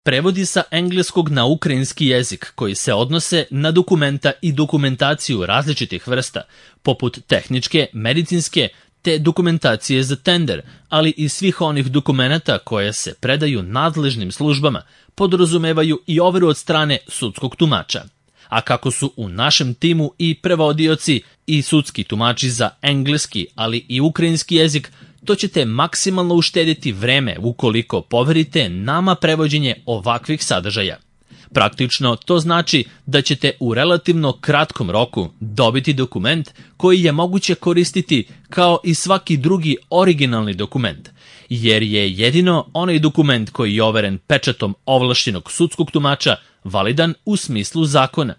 Prevodi sa engleskog na ukrajinski jezik koji se odnose na dokumenta i dokumentaciju različitih vrsta, poput tehničke, medicinske, te dokumentacije za tender, ali i svih onih dokumenata koje se predaju nadležnim službama, podrazumevaju i overu od strane sudskog tumača. A kako su u našem timu i prevodioci i sudski tumači za engleski, ali i ukrajinski jezik, to ćete maksimalno uštediti vreme ukoliko poverite nama prevođenje ovakvih sadržaja. Praktično to znači da ćete u relativno kratkom roku dobiti dokument koji je moguće koristiti kao i svaki drugi originalni dokument, jer je jedino onaj dokument koji je overen pečatom ovlašćenog sudskog tumača validan u smislu zakona.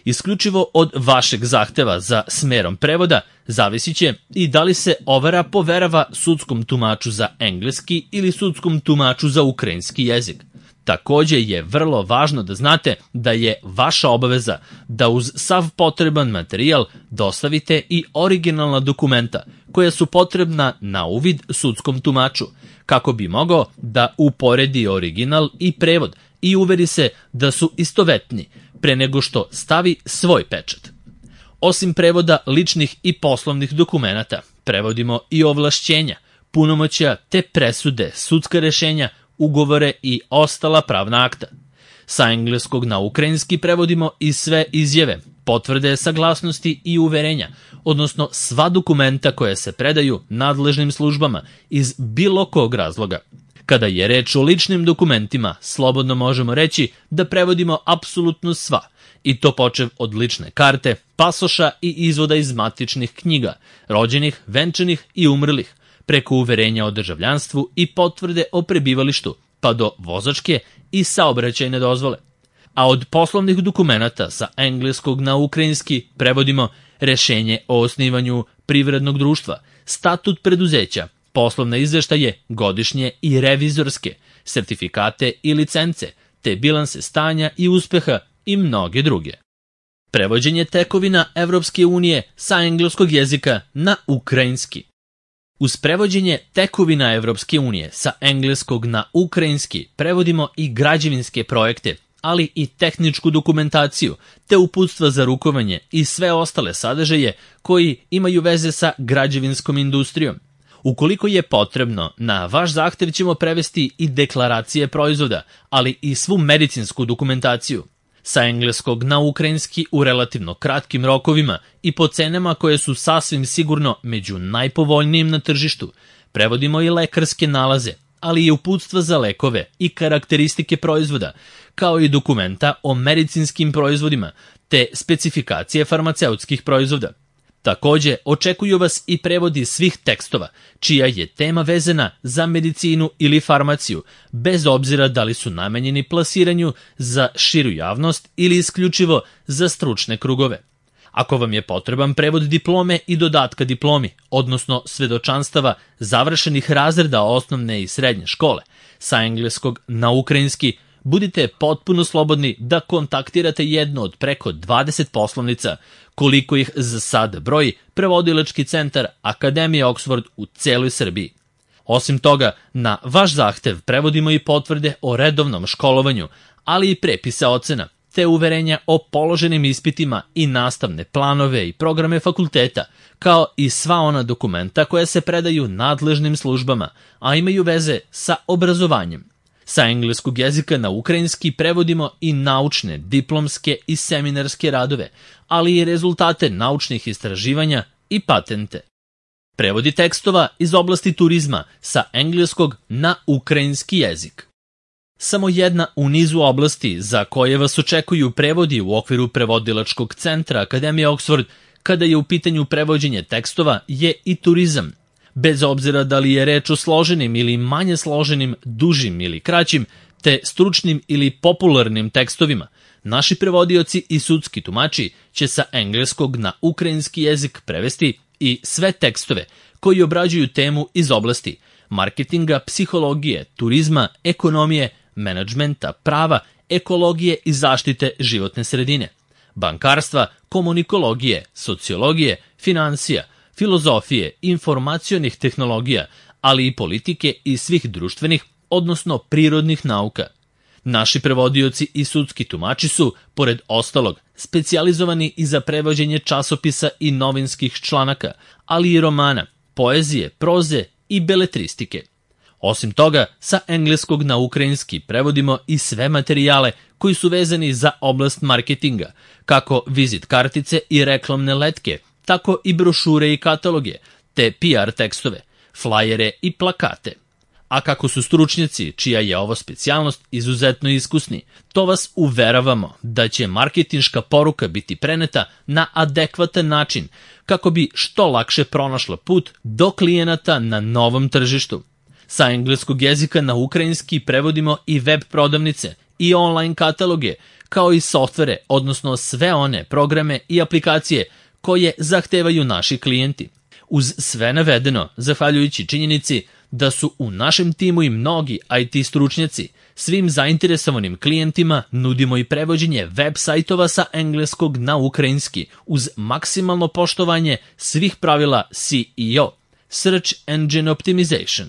Isključivo od vašeg zahteva za smerom prevoda zavisit će i da li se overa poverava sudskom tumaču za engleski ili sudskom tumaču za ukrajinski jezik. Takođe je vrlo važno da znate da je vaša obaveza da uz sav potreban materijal dostavite i originalna dokumenta koja su potrebna na uvid sudskom tumaču, kako bi mogao da uporedi original i prevod i uveri se da su istovetni pre nego što stavi svoj pečat. Osim prevoda ličnih i poslovnih dokumenata, prevodimo i ovlašćenja, punomoćja te presude, sudska rešenja, ugovore i ostala pravna akta. Sa engleskog na ukrajinski prevodimo i sve izjave, potvrde saglasnosti i uverenja, odnosno sva dokumenta koja se predaju nadležnim službama iz bilo kog razloga. Kada je reč o ličnim dokumentima, slobodno možemo reći da prevodimo apsolutno sva, i to počev od lične karte, pasoša i izvoda iz matičnih knjiga, rođenih, venčanih i umrlih, preko uverenja o državljanstvu i potvrde o prebivalištu, pa do vozačke i saobraćajne dozvole. A od poslovnih dokumenata sa engleskog na ukrajinski prevodimo rešenje o osnivanju privrednog društva, statut preduzeća, poslovne izveštaje, godišnje i revizorske, sertifikate i licence, te bilanse stanja i uspeha i mnoge druge. Prevođenje tekovina Evropske unije sa engleskog jezika na ukrajinski. Uz prevođenje tekovina Evropske unije sa engleskog na ukrajinski prevodimo i građevinske projekte, ali i tehničku dokumentaciju, te uputstva za rukovanje i sve ostale sadržaje koji imaju veze sa građevinskom industrijom. Ukoliko je potrebno, na vaš zahtev ćemo prevesti i deklaracije proizvoda, ali i svu medicinsku dokumentaciju. Sa engleskog na ukrajinski u relativno kratkim rokovima i po cenama koje su sasvim sigurno među najpovoljnijim na tržištu, prevodimo i lekarske nalaze, ali i uputstva za lekove i karakteristike proizvoda, kao i dokumenta o medicinskim proizvodima, te specifikacije farmaceutskih proizvoda. Takođe, očekuju vas i prevodi svih tekstova, čija je tema vezana za medicinu ili farmaciju, bez obzira da li su namenjeni plasiranju za širu javnost ili isključivo za stručne krugove. Ako vam je potreban prevod diplome i dodatka diplomi, odnosno svedočanstava završenih razreda osnovne i srednje škole, sa engleskog na ukrajinski, budite potpuno slobodni da kontaktirate jednu od preko 20 poslovnica, koliko ih za sad broji prevodilački centar Akademije Oxford u celoj Srbiji. Osim toga, na vaš zahtev prevodimo i potvrde o redovnom školovanju, ali i prepise ocena, te uverenja o položenim ispitima i nastavne planove i programe fakulteta, kao i sva ona dokumenta koja se predaju nadležnim službama, a imaju veze sa obrazovanjem. Sa engleskog jezika na ukrajinski prevodimo i naučne, diplomske i seminarske radove, ali i rezultate naučnih istraživanja i patente. Prevodi tekstova iz oblasti turizma sa engleskog na ukrajinski jezik. Samo jedna u nizu oblasti za koje vas očekuju prevodi u okviru prevodilačkog centra Akademije Oxford kada je u pitanju prevođenje tekstova je i turizam. Bez obzira da li je reč o složenim ili manje složenim, dužim ili kraćim, te stručnim ili popularnim tekstovima, naši prevodioci i sudski tumači će sa engleskog na ukrajinski jezik prevesti i sve tekstove koji obrađuju temu iz oblasti marketinga, psihologije, turizma, ekonomije, menadžmenta, prava, ekologije i zaštite životne sredine, bankarstva, komunikologije, sociologije, finansija, filozofije, informacionih tehnologija, ali i politike i svih društvenih, odnosno prirodnih nauka. Naši prevodioci i sudski tumači su, pored ostalog, specijalizovani i za prevođenje časopisa i novinskih članaka, ali i romana, poezije, proze i beletristike. Osim toga, sa engleskog na ukrajinski prevodimo i sve materijale koji su vezani za oblast marketinga, kako vizit kartice i reklamne letke, tako i brošure i kataloge, te PR tekstove, flajere i plakate. A kako su stručnjaci, čija je ovo specijalnost, izuzetno iskusni, to vas uveravamo da će marketinška poruka biti preneta na adekvatan način, kako bi što lakše pronašla put do klijenata na novom tržištu. Sa engleskog jezika na ukrajinski prevodimo i web prodavnice i online kataloge, kao i softvere, odnosno sve one programe i aplikacije koje zahtevaju naši klijenti. Uz sve navedeno, zahvaljujući činjenici da su u našem timu i mnogi IT stručnjaci, svim zainteresovanim klijentima nudimo i prevođenje web sajtova sa engleskog na ukrajinski uz maksimalno poštovanje svih pravila SEO, Search Engine Optimization.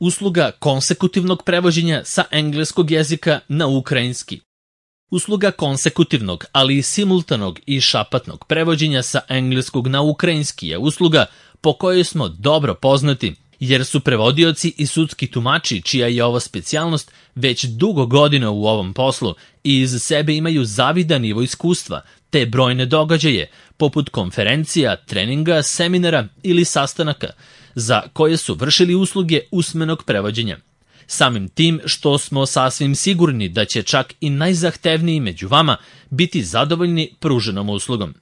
Usluga konsekutivnog prevođenja sa engleskog jezika na ukrajinski. Usluga konsekutivnog, ali i simultanog i šapatnog prevođenja sa engleskog na ukrajinski je usluga po kojoj smo dobro poznati, jer su prevodioci i sudski tumači, čija je ovo specijalnost, već dugo godina u ovom poslu i iz sebe imaju zavidan nivo iskustva, te brojne događaje, poput konferencija, treninga, seminara ili sastanaka, za koje su vršili usluge usmenog prevođenja. Samim tim što smo sasvim sigurni da će čak i najzahtevniji među vama biti zadovoljni pruženom uslugom.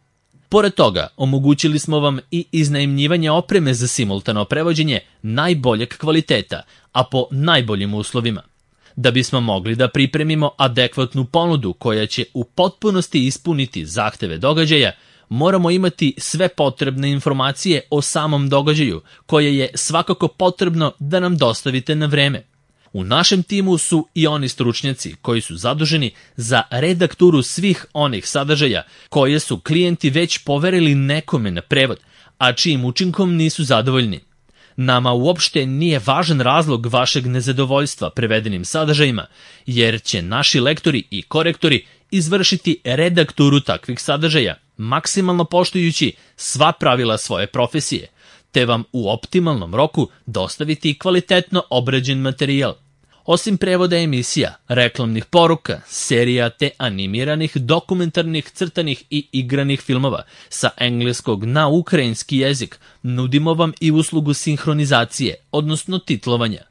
Pored toga, omogućili smo vam i iznajmljivanje opreme za simultano prevođenje najboljeg kvaliteta, a po najboljim uslovima. Da bismo mogli da pripremimo adekvatnu ponudu koja će u potpunosti ispuniti zahteve događaja, moramo imati sve potrebne informacije o samom događaju, koje je svakako potrebno da nam dostavite na vreme. U našem timu su i oni stručnjaci koji su zaduženi za redakturu svih onih sadržaja koje su klijenti već poverili nekome na prevod, a čijim učinkom nisu zadovoljni. Nama uopšte nije važan razlog vašeg nezadovoljstva prevedenim sadržajima, jer će naši lektori i korektori izvršiti redakturu takvih sadržaja, maksimalno poštujući sva pravila svoje profesije, te vam u optimalnom roku dostaviti kvalitetno obrađen materijal. Osim prevoda emisija, reklamnih poruka, serija te animiranih, dokumentarnih, crtanih i igranih filmova sa engleskog na ukrajinski jezik, nudimo vam i uslugu sinhronizacije, odnosno titlovanja.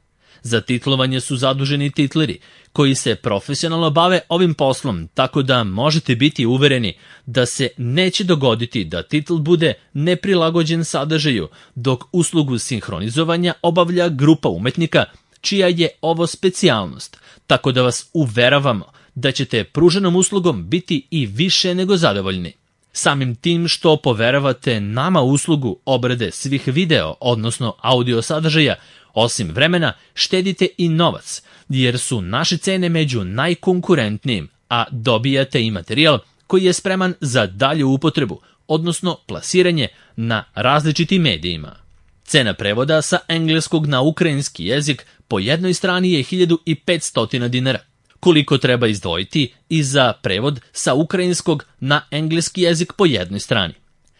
Za titlovanje su zaduženi titleri, koji se profesionalno bave ovim poslom, tako da možete biti uvereni da se neće dogoditi da titl bude neprilagođen sadržaju, dok uslugu sinhronizovanja obavlja grupa umetnika, čija je ovo specijalnost, tako da vas uveravamo da ćete pruženom uslugom biti i više nego zadovoljni. Samim tim što poveravate nama uslugu obrade svih video, odnosno audio sadržaja, osim vremena, štedite i novac, jer su naše cene među najkonkurentnijim, a dobijate i materijal koji je spreman za dalju upotrebu, odnosno plasiranje na različitim medijima. Cena prevoda sa engleskog na ukrajinski jezik po jednoj strani je 1500 dinara. Koliko treba izdvojiti i za prevod sa ukrajinskog na engleski jezik po jednoj strani?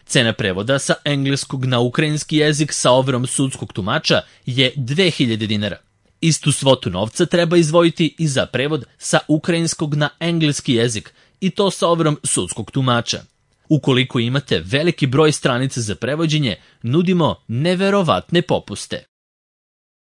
Cena prevoda sa engleskog na ukrajinski jezik sa overom sudskog tumača je 2000 dinara. Istu svotu novca treba izdvojiti i za prevod sa ukrajinskog na engleski jezik, i to sa overom sudskog tumača. Ukoliko imate veliki broj stranica za prevođenje, nudimo neverovatne popuste.